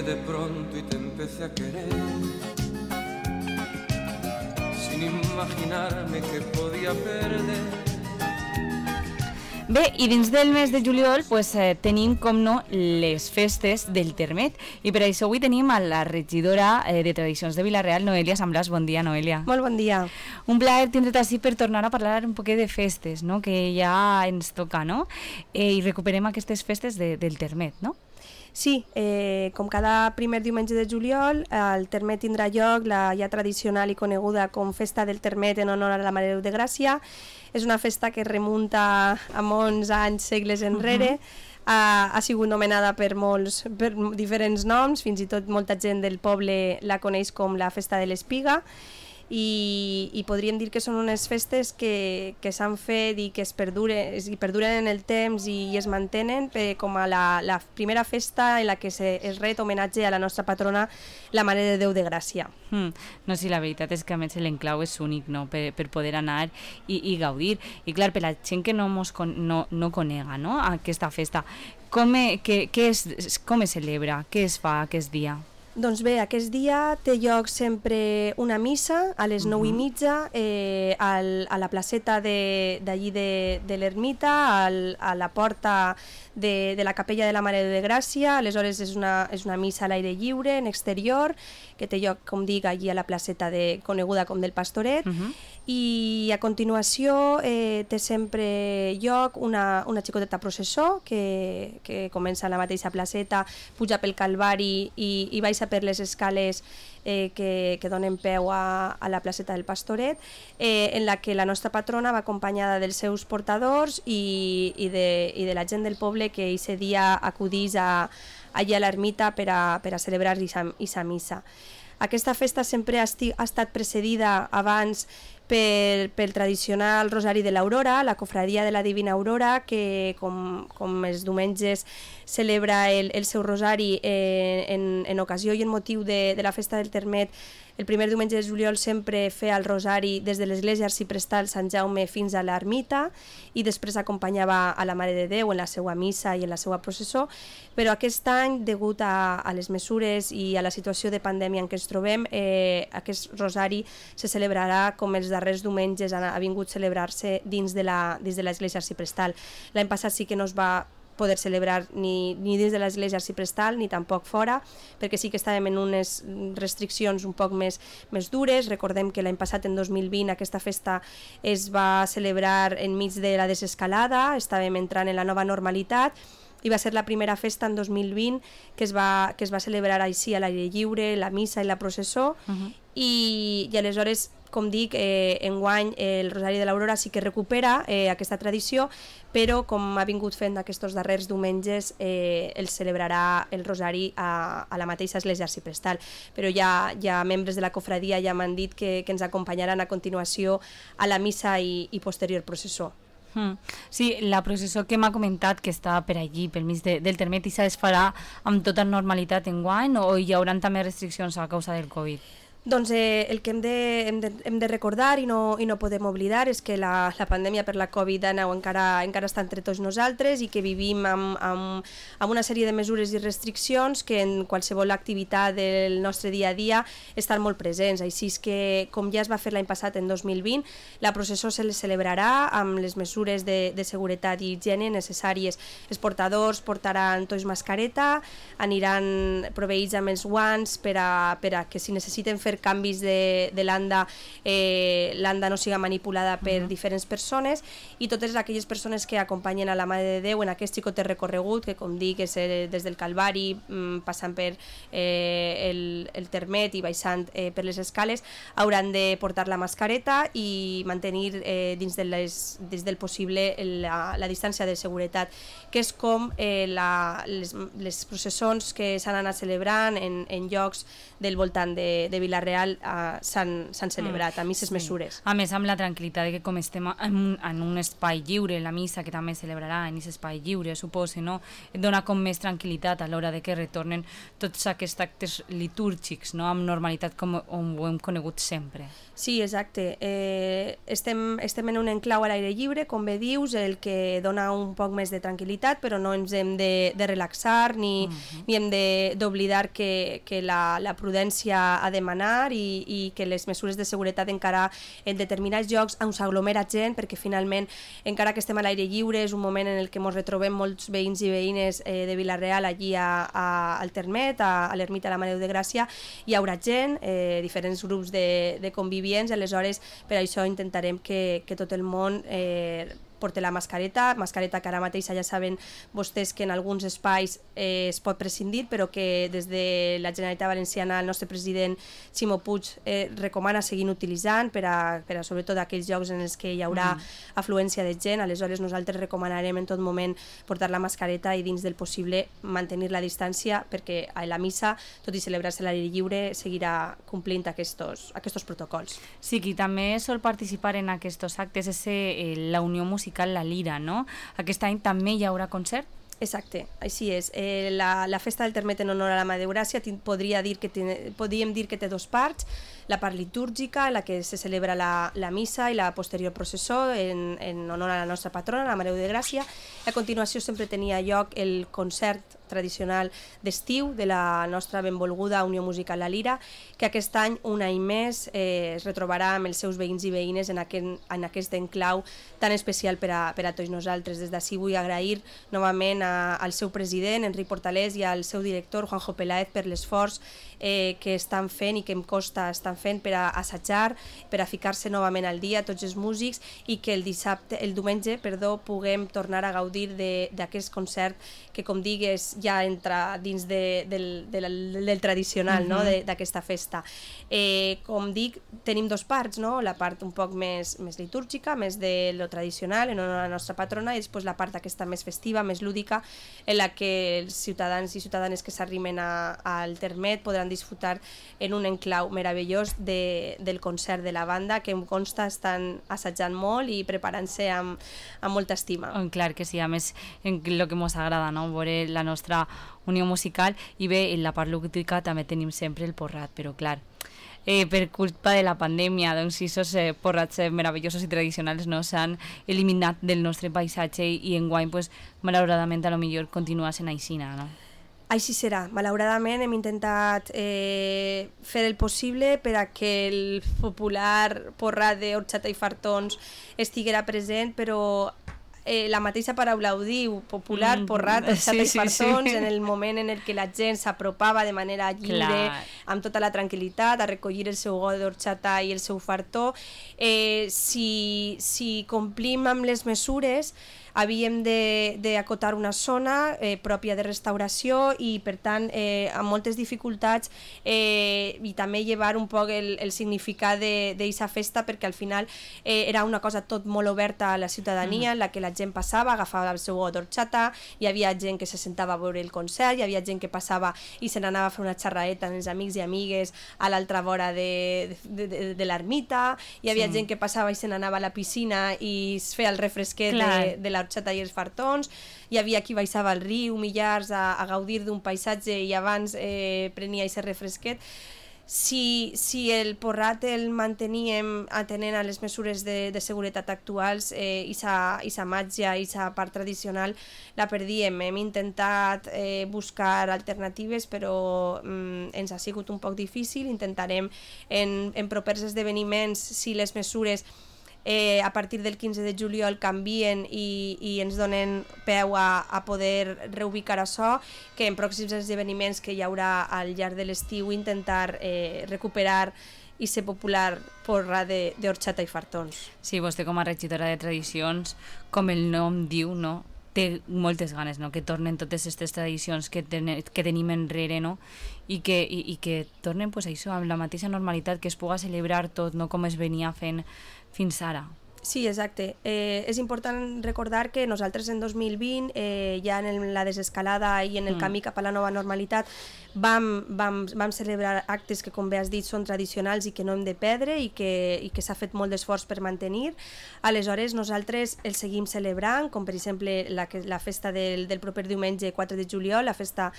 llegué de pronto y te empecé a querer, sin imaginarme que podía perder. Bé, i dins del mes de juliol tenim, com no, les festes del Termet. I per això avui tenim a la regidora de Tradicions de Vila-real, Noelia Samblàs. Bon dia, Noelia. Molt bon dia. Un plaer tindre't així per tornar a parlar un poquet de festes, no?, que ja ens toca, no? I recuperem aquestes festes del Termet, no? Sí, com cada primer diumenge de juliol, el Termet tindrà lloc la ja tradicional i coneguda com Festa del Termet en honor a la Mare de Déu de Gràcia. És una festa que remunta a molts anys, segles enrere. Ha sigut nomenada per diferents noms, fins i tot molta gent del poble la coneix com la Festa de l'Espiga. I podríem dir que són unes festes que s'han fet i que es perduren en el temps i es mantenen com a la primera festa en la que es ret homenatge a la nostra patrona, la Mare de Déu de Gràcia. No, sí, la veritat és que a més l'enclau és únic, no?, per poder anar i gaudir. I clar, per la gent que no conega, no?, aquesta festa, com es celebra, què es fa aquest dia? Doncs bé, aquest dia té lloc sempre una missa a les 9:30 a la placeta d'allí de l'ermita, a la porta de la capella de la Mare de Gràcia. Aleshores és una missa a l'aire lliure, en exterior, que té lloc, com dic, allí a la placeta coneguda com del Pastoret. I a continuació té sempre lloc una xicoteta processó que comença a la mateixa placeta, puja pel Calvari i baixa per les escales que donen peu a la placeta del Pastoret, en la que la nostra patrona va acompanyada dels seus portadors i de la gent del poble que aquest dia acudís allà a l'ermita per a celebrar aquesta missa. Aquesta festa sempre ha estat precedida abans pel tradicional Rosari de l'Aurora, la cofradia de la Divina Aurora, que com els diumenges celebra el seu rosari en ocasió i en motiu de la festa del Termet. El primer diumenge de juliol sempre feia el rosari des de l'església arciprestal Sant Jaume fins a l'ermita i després acompanyava a la Mare de Déu en la seva missa i en la seva processó, però aquest any, degut a les mesures i a la situació de pandèmia en què ens trobem, aquest rosari se celebrarà com els darrers diumenges ha vingut a celebrar-se dins de l'església arciprestal. L'any passat sí que no es va poder celebrar ni dins de l'església arciprestal ni tampoc fora, perquè sí que estàvem en unes restriccions un poc més dures. Recordem que l'any passat, en 2020, aquesta festa es va celebrar enmig de la desescalada, estàvem entrant en la nova normalitat i va ser la primera festa en 2020 que es va celebrar així a l'aire lliure, la missa i la processó. I aleshores, com dic, enguany el Rosari de l'Aurora sí que recupera aquesta tradició, però com ha vingut fent aquests darrers diumenges, el celebrarà el Rosari a la mateixa església arciprestal. Però ja membres de la cofradia ja m'han dit que ens acompanyaran a continuació a la missa i posterior processó. Sí, la processó que m'ha comentat que està per allí, pel mig del Termet, i es farà amb tota normalitat enguany o hi haurà també restriccions a causa del Covid? Doncs el que hem de recordar i no podem oblidar és que la pandèmia per la Covid-19 encara està entre tots nosaltres i que vivim amb una sèrie de mesures i restriccions que en qualsevol activitat del nostre dia a dia estan molt presents. Així és que, com ja es va fer l'any passat, en 2020, la processó se celebrarà amb les mesures de seguretat i higiene necessàries. Els portadors portaran tots mascareta, aniran proveïts amb els guants per a que si necessiten fer canvis de l'anda, l'anda no siga manipulada per diferents persones, i totes aquelles persones que acompanyen a la Mare de Déu en aquest xicotet recorregut, que com dic és des del Calvari, passant per el Termet i baixant per les escales, hauran de portar la mascareta i mantenir dins del possible la distància de seguretat, que és com les processons que s'han anat celebrant en llocs del voltant de Vila-real. Vila-real s'han celebrat a misses mesures. A més, amb la tranquil·litat de que com estem en un espai lliure, la missa que també celebrarà en aquest espai lliure, suposo, no? Et dona com més tranquil·litat a l'hora de que retornen tots aquests actes litúrgics, no? Amb normalitat com ho hem conegut sempre. Sí, exacte. Estem en un enclau a l'aire lliure, com bé dius, el que dona un poc més de tranquil·litat, però no ens hem de relaxar ni hem d'oblidar que la prudència ha de manar i que les mesures de seguretat encara en determinats llocs on s'aglomera gent, perquè finalment, encara que estem a l'aire lliure, és un moment en el que ens retrobem molts veïns i veïnes de Vila-real allí al Termet, a l'ermita de la Mare de Déu de Gràcia, hi haurà gent, diferents grups de convivients, aleshores per això intentarem que tot el món porta la mascareta que ara mateix ja saben vostès que en alguns espais es pot prescindir, però que des de la Generalitat Valenciana el nostre president Ximo Puig recomana seguir utilitzant per a sobretot aquells llocs en els que hi haurà afluència de gent. Aleshores nosaltres recomanarem en tot moment portar la mascareta i dins del possible mantenir la distància, perquè a la missa, tot i celebrar-se a l'aire lliure, seguirà complint aquests protocols. Sí, qui també sol participar en aquests actes és la Unió Musical La Lira, no? Aquest any també hi haurà concert? Exacte, així és. La festa del Termet en honor a la Mare de Gràcia podríem dir que té dos parts, la part litúrgica, en la que se celebra la missa i la posterior processó en honor a la nostra patrona, la Mare de Gràcia. A continuació sempre tenia lloc el concert tradicional d'estiu de la nostra benvolguda Unió Musical La Lira, que aquest any, un any més, es retrobarà amb els seus veïns i veïnes en aquest enclau tan especial per a tots nosaltres. Des d'ací vull agrair novament al seu president, Enric Portalés, i al seu director, Juanjo Peláez, per l'esforç que estan fent i que em costa estan fent per a assajar, per a ficar-se novament al dia tots els músics, i que el diumenge, puguem tornar a gaudir d'aquest concert que, com digues, ja entra dins del tradicional, no? D'aquesta festa. Com dic, tenim dos parts, no? La part un poc més litúrgica, més de lo tradicional, en honor a la nostra patrona, i després la part aquesta més festiva, més lúdica, en la que els ciutadans i ciutadanes que s'arrimen al Termet podran disfrutar en un enclau meravellós del concert de la banda, que em consta estan assajant molt i preparant-se amb molta estima. Clar que sí, a més, el que ens agrada, no? Veure la nostra unió musical, i bé, en la part lúdica també tenim sempre el porrat, però clar, per culpa de la pandèmia, doncs aquests porrats meravellosos i tradicionals no s'han eliminat del nostre paisatge i enguany, malauradament, a lo millor continua sent aixina, no? Així serà. Malauradament hem intentat fer el possible per a que el popular porrat d'orxata i fartons estiguera present, però la mateixa paraula ho diu, popular, porrat, orxata i fartons, en el moment en el que la gent s'apropava de manera lliure, amb tota la tranquil·litat, a recollir el seu got d'orxata i el seu fartó. Si complim amb les mesures, havíem d'acotar una zona pròpia de restauració i, per tant, amb moltes dificultats, i també llevar un poc el significat d'aquesta festa, perquè al final era una cosa tot molt oberta a la ciutadania, en la que la gent passava, agafava el seu got d'orxata, hi havia gent que se sentava a veure el concert, hi havia gent que passava i se n'anava a fer una xerraeta amb els amics i amigues a l'altra vora de l'ermita, hi havia gent que passava i se n'anava a la piscina i es feia el refresquet de l'orxata i els fartons, hi havia qui baixava al riu Millars a gaudir d'un paisatge i abans prenia aquest refresquet. Si el porrat el manteníem atenent a les mesures de seguretat actuals, i sa màgia i sa part tradicional la perdíem. Hem intentat buscar alternatives, però ens ha sigut un poc difícil. Intentarem en propers esdeveniments, si les mesures a partir del 15 de juliol canvien i ens donen peu a poder reubicar això, que en pròxims esdeveniments que hi haurà al llarg de l'estiu intentar recuperar i ser popular porra d'orxata i fartons. Sí, vostè com a regidora de tradicions, com el nom diu, no? Té moltes ganes, no? Que tornen totes aquestes tradicions que tenim enrere, no? I que tornen, això, amb la mateixa normalitat, que es puga celebrar tot, no? Com es venia fent fins ara. Sí, exacte. És important recordar que nosaltres en 2020, ja en la desescalada i en el camí cap a la nova normalitat, vam celebrar actes que, com bé has dit, són tradicionals i que no hem de perdre i que s'ha fet molt d'esforç per mantenir. Aleshores, nosaltres els seguim celebrant, com per exemple la festa del proper diumenge 4 de juliol, la festa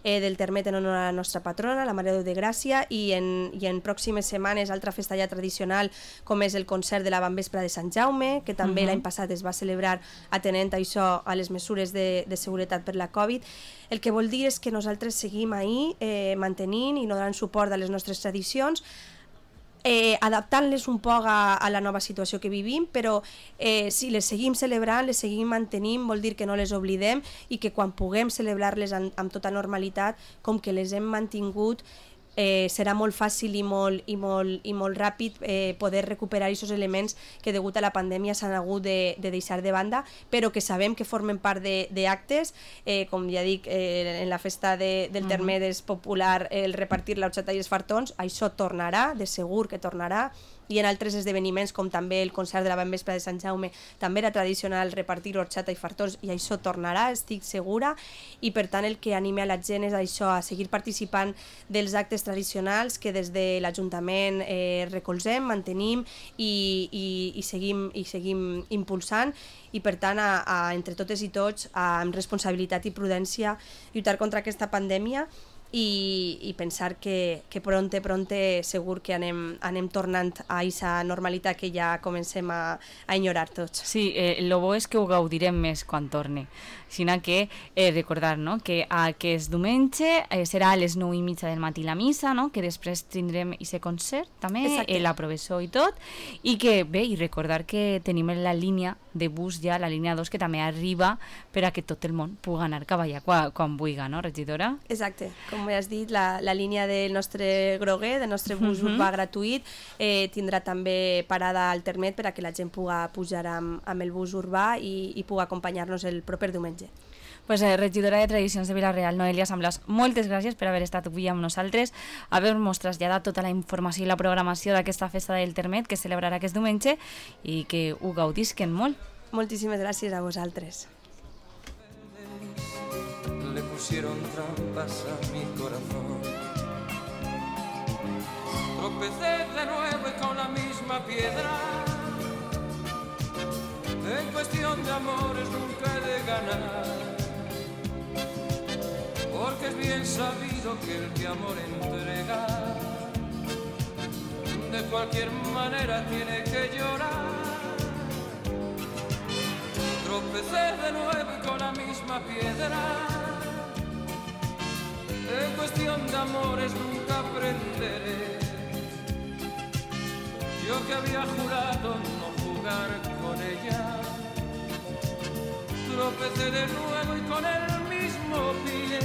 del Termet en honor a la nostra patrona, la Mare de Déu de Gràcia, i en pròximes setmanes altra festa ja tradicional, com és el concert de la Vespra de Sant Jaume, que també l'any passat es va celebrar atenent això a les mesures de seguretat per la Covid. El que vol dir és que nosaltres seguim ahí mantenint i donant suport a les nostres tradicions, adaptant-les un poc a la nova situació que vivim, però si les seguim celebrant, les seguim mantenint, vol dir que no les oblidem i que quan puguem celebrar-les amb tota normalitat, com que les hem mantingut, serà molt fàcil i molt ràpid poder recuperar aquests elements que degut a la pandèmia s'han hagut de deixar de banda, però que sabem que formen part d'actes, com ja dic, en la festa del Termet és popular el repartir l'orxata i els fartons, això tornarà, de segur que tornarà, i en altres esdeveniments com també el concert de la Vespra de Sant Jaume també era tradicional repartir orxata i fartons i això tornarà, estic segura, i per tant el que anime a la gent és això, a seguir participant dels actes tradicionals que des de l'Ajuntament recolzem, mantenim i seguim impulsant, i per tant entre totes i tots amb responsabilitat i prudència lluitar contra aquesta pandèmia i pensar que pronte segur que anem tornant a aquesta normalitat que ja comencem a enyorar tots. Sí, el bo és que ho gaudirem més quan torni. Sinó que recordar, no?, que aquest diumenge serà a les 9:30 del matí la missa, no?, que després tindrem aquest concert també, la professor i tot, i que bé, i recordar que tenim la línia de bus ja, la línia 2, que també arriba per a que tot el món pugui anar cap allà quan vulgui, no, regidora? Exacte, com has dit, la línia del nostre groguer, del nostre bus urbà gratuït, tindrà també parada al Termet per a que la gent pugui pujar amb el bus urbà i pugui acompanyar-nos el proper diumenge. Pues, regidora de Tradicions de Vila-real, Noelia Samblas, moltes gràcies per haver estat avui amb nosaltres, haver-nos traslladat tota la informació i la programació d'aquesta festa del Termet que celebrarà aquest diumenge i que ho gaudisquen molt. Moltíssimes gràcies a vosaltres. Le pusieron trampas a mi corazón. Tropecé de nuevo y con la misma piedra. En cuestión de amores nunca he de ganar, porque es bien sabido que el que amor entrega de cualquier manera tiene que llorar. Tropecé de nuevo y con la misma piedra. En cuestión de amores nunca aprenderé. Yo que había jurado no jugar con ella, tropecé de nuevo y con el mismo pie.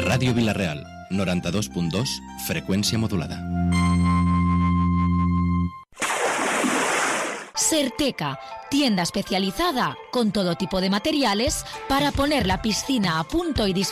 Ràdio Vila-real, 92.2, frecuencia modulada. Certeca, tienda especializada con todo tipo de materiales para poner la piscina a punto y disfrutar